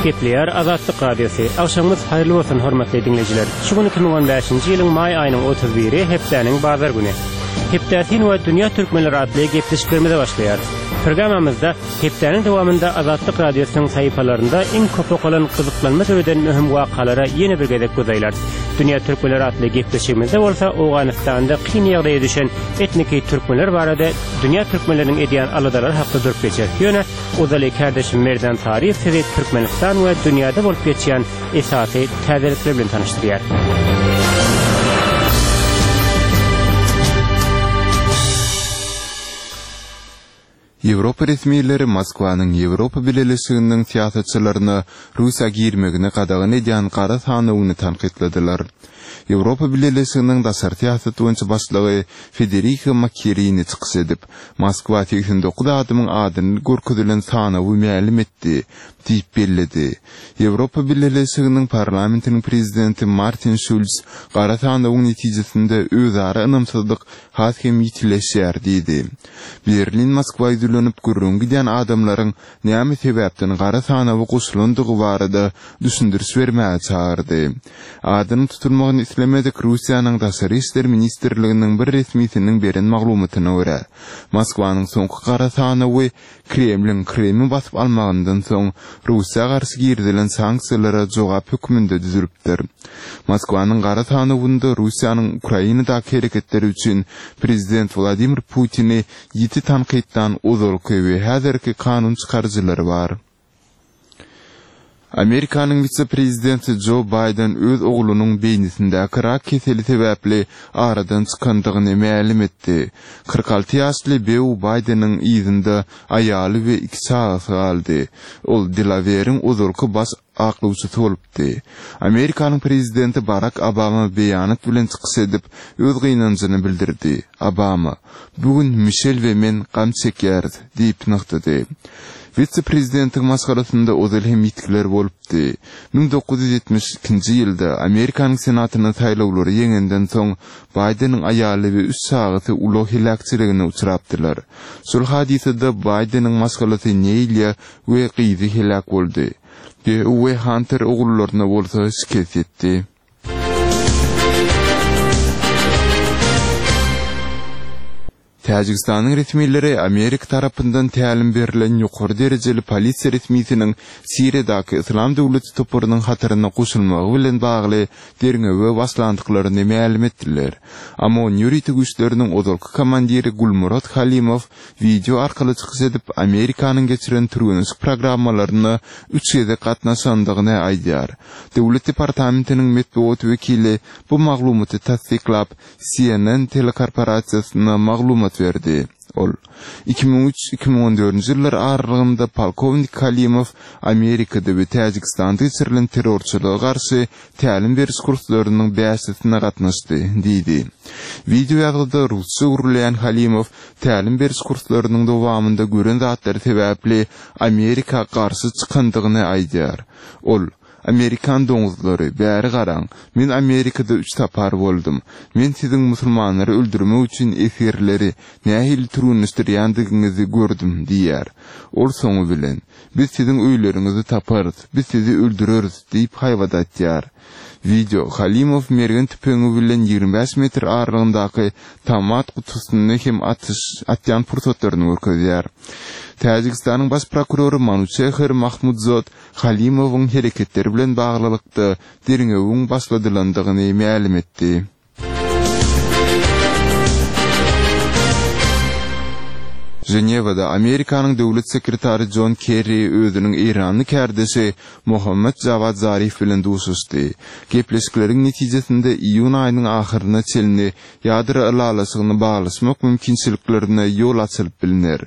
Gepleýär Azatlyk Radiosy. Agşamyňyz haýyrly bolsun, hormatly diňleýjiler. Şu gün 2015-nji ýylyň maý aýynyň 31-i, hepdäniň bazar güni. Hepdä syn we Dünýä türkmenleri atly gepleşiklerimize başlaýarys. Programmamyzda hepdäniň dowamynda Azatlyk Radiosynyň sahypalarynda iň köp okalan gyzyklanma döreden möhüm wakalara ýene bir gezek göz aýlarys. Dünýä türkmenleri atly gepleşigimizde bolsa Owganystanda kyn ýagdaýa düşen etniki türkmenler barada dünýä türkmenleriniň edýän aladalary hakda durup geçeris. Ýöne ozaly kärdeşim Merdan Saryýew sizi Türkmenistan we dünýäde bolup geçýän esasy täzelikler bilen tanyşdyrýar. Ýewropa resmileri Moskwanyň Ýewropa Bileleşiginiň syýasatçylaryna Russiýa girmegini gadagan edýän gara sanawyny tankytladylar. Ýewropa Bileleşiginiň daşary syýasat boýunça başlygy Federika Mogherini çykyş edip, Moskwa 89 adamyň adyny görkezilen sanawy mälim etdi diýip belledi. Ýewropa Bileleşiginiň Parlamentiniň prezidenti Martin Şulz gara sanawyň netijesinde özara ynamsyzlyk has hem ýitileşýär diýdi. Berlin Moskwa ýüzlenip, gürrüňi gidýän adamlaryň näme sebäpden gara sanawa goşulandygy barada düşündiriş bermäge çagyrdy. Adynyň tutulmagyny islemedik Russiýanyň Daşary işler ministrliginiň bir resmisiniň beren maglumatyna görä, Moskwanyň soňky gara sanawy Kremliň Krymy basyp almagyndan soň Russiýa garşy girizilen sanksiýalara jogap hökmünde düzülipdir. Moskwanyň gara sanawynda Russiýanyň Ukrainadaky hereketleri üçin prezident Wladimir Putini ýiti tankytlan ozalky we häzirki kanun çykaryjylary bar. Amerikanyň wise-prezidenti Jo Baýden öz oglunyň beýnisindäki rak keseli sebäpli aradan çykandygyny mälim etdi. 46 ýaşly Beau Baýdeniň yzynda aýaly we iki çagasy galdy. Ol Delaweriň ozalky baş aklawçysy bolupdy. Amerikanyň prezidenti Barak Obama beýanat bilen çykyş edip, öz gynanjyny bildirdi. Obama, Bu gün Mişel we men gam çekýäris, diýip nygtady. Wise-prezidentiň maşgalasynda ozal hem ýitgiler bolupdy. 1972-nji ýylda Amerikanyň Senatyna saýlawlary ýeňenden soň, Baýdeniň aýaly we üç çagasy ulag heläkçiligine uçrapdylar. Şol hadysada Baýdeniň maşgalasy Neýliýa we gyzy heläk boldy. Beau we Hanter ogullaryna bolsa şikes ýetdi. Täjigistanyň resmileri Amerika tarapyndan tälim berlen ýokary derejeli polisiýa resmisiniň Siriýadaky Yslam döwleti toparynyň hataryna goşulmagy bilen bagly derňewe başlandyklaryny mälim etdiler. OMON ýörite güýçleriniň ozalky komandiri Gulmurod Halimow wideo arkaly çykyş edip, Amerikanyň geçiren türgenleşik programmalaryna üç gezek gatnaşandygyny aýdýar. Döwlet departamentiniň metbugat wekili bu maglumaty tassyklap, CNN telekorporasiýasyna maglumat berdi. Ol, 2003, 2014-nji ýyllar aralygynda polkownik Halimow Amerikada we Täjigistanda geçirilen terrorçylyga garşy tälim beriş kurslarynyň bäşisine gatnaşdy, diýdi. Wideo ýazgyda rusça gürleýän Halimow tälim beriş kurslarynyň dowamynda gören zatlary sebäpli Amerika garşy çykandygyny aýdýar. Ol, Amerikan doňuzlary, bäri garaň, men Amerikada üç sapar boldum. Men siziň musulmanlary öldürmek üçin esgerleri nähili türgenleşdirýändigiňizi gördüm diýýär. Ol soňy bilen, Biz siziň öýleriňizi taparys, biz sizi öldüreris diýip haýbat atýar. Wideo, Halimow mergen tüpeňi bilen 25 metr aralygyndaky tomat gutusyny hem atyş atýan pursatlaryny görkezýär. Täjigistanyň baş prokurory Manuçehr Mahmudzod Halimowyň hereketleri bilen baglylykda derňewiň başladylandygyny mälim etdi. Ženewada Amerikanyň döwlet sekretary Jon Kerri özüniň eýranly kärdeşi Mohammad Jawad Zarif bilen duşuşdy. Gepleşikleriň netijesinde iýun aýynyň ahyryna çenli ýadro ylalaşygyny baglaşmak mümkinçiliklerine ýol açylyp bilner.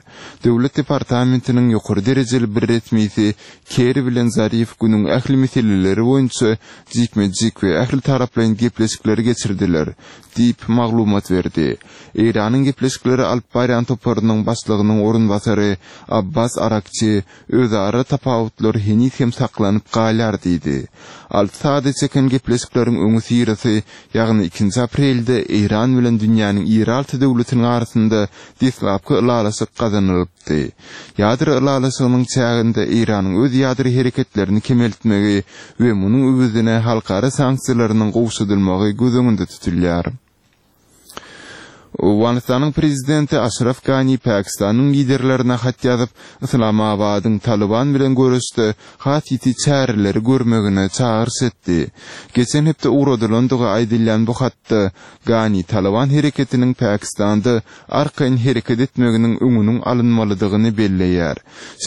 Döwlet departamentiniň ýokary derejeli bir resmisi Kerri bilen Zarif günüň ähli meseleleri boýunça jikme-jik we ähli taraplaýyn gepleşikleri geçirdiler, diýip, maglumat berdi. Eýranyň gepleşikleri alyp barýan toparynyň başlygy. başlygynyň orunbasary Abbas Arakçi özara tapawutlar heniz hem saklanyp galýar diýdi. Alty sagada çeken gepleşikleriň öňüsyrasy, ýagny ikinji aprelde Eýran bilen dünýäniň iri alty döwletiniň arasynda deslapky ylalaşyk gazanylypdy. Ýadro ylalaşygynyň çäginde Eýranyň öz ýadro hereketlerini kemeltmegi we munuň öwezine halkara sanksiýalarynyň gowşadylmagy göz öňünde tutulýar. Owganystanyň prezidenti Aşraf Gani Pakistanyň liderlerine hat ýazyp, Yslamabadyň Talyban bilen göreşde has ýiti çäreleri görmegine çagyryş etdi. Geçen hepde ugradylandygy aýdylýan bu hatda Gani Talyban hereketiniň Pakistanda arkaýyn hereket etmeginiň öňüniň alynmalydygyny belleýär.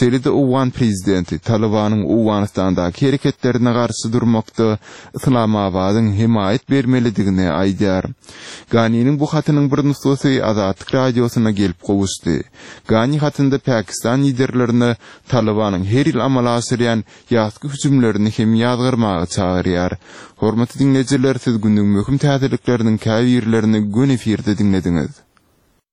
Şeýle-de owgan prezidenti Talybanyň Owganystandaky hereketlerine garşy durmakda Yslamabadyň hemaýat bermelidigini aýdýar. Ganiniň bu hatynyň bir nusgasy Azatlyk Radiosyna gelip gowuşdy. Gani hatynda Pakistan liderlerine Talybanyň her ýyl amala aşyrýan ýazky hüjümlerini hem ýazgarmaga çagyrýar. Hormatly diňleýjiler, siz günüň möhüm täzelikleriniň käbirlerini göni efirde diňlediňiz.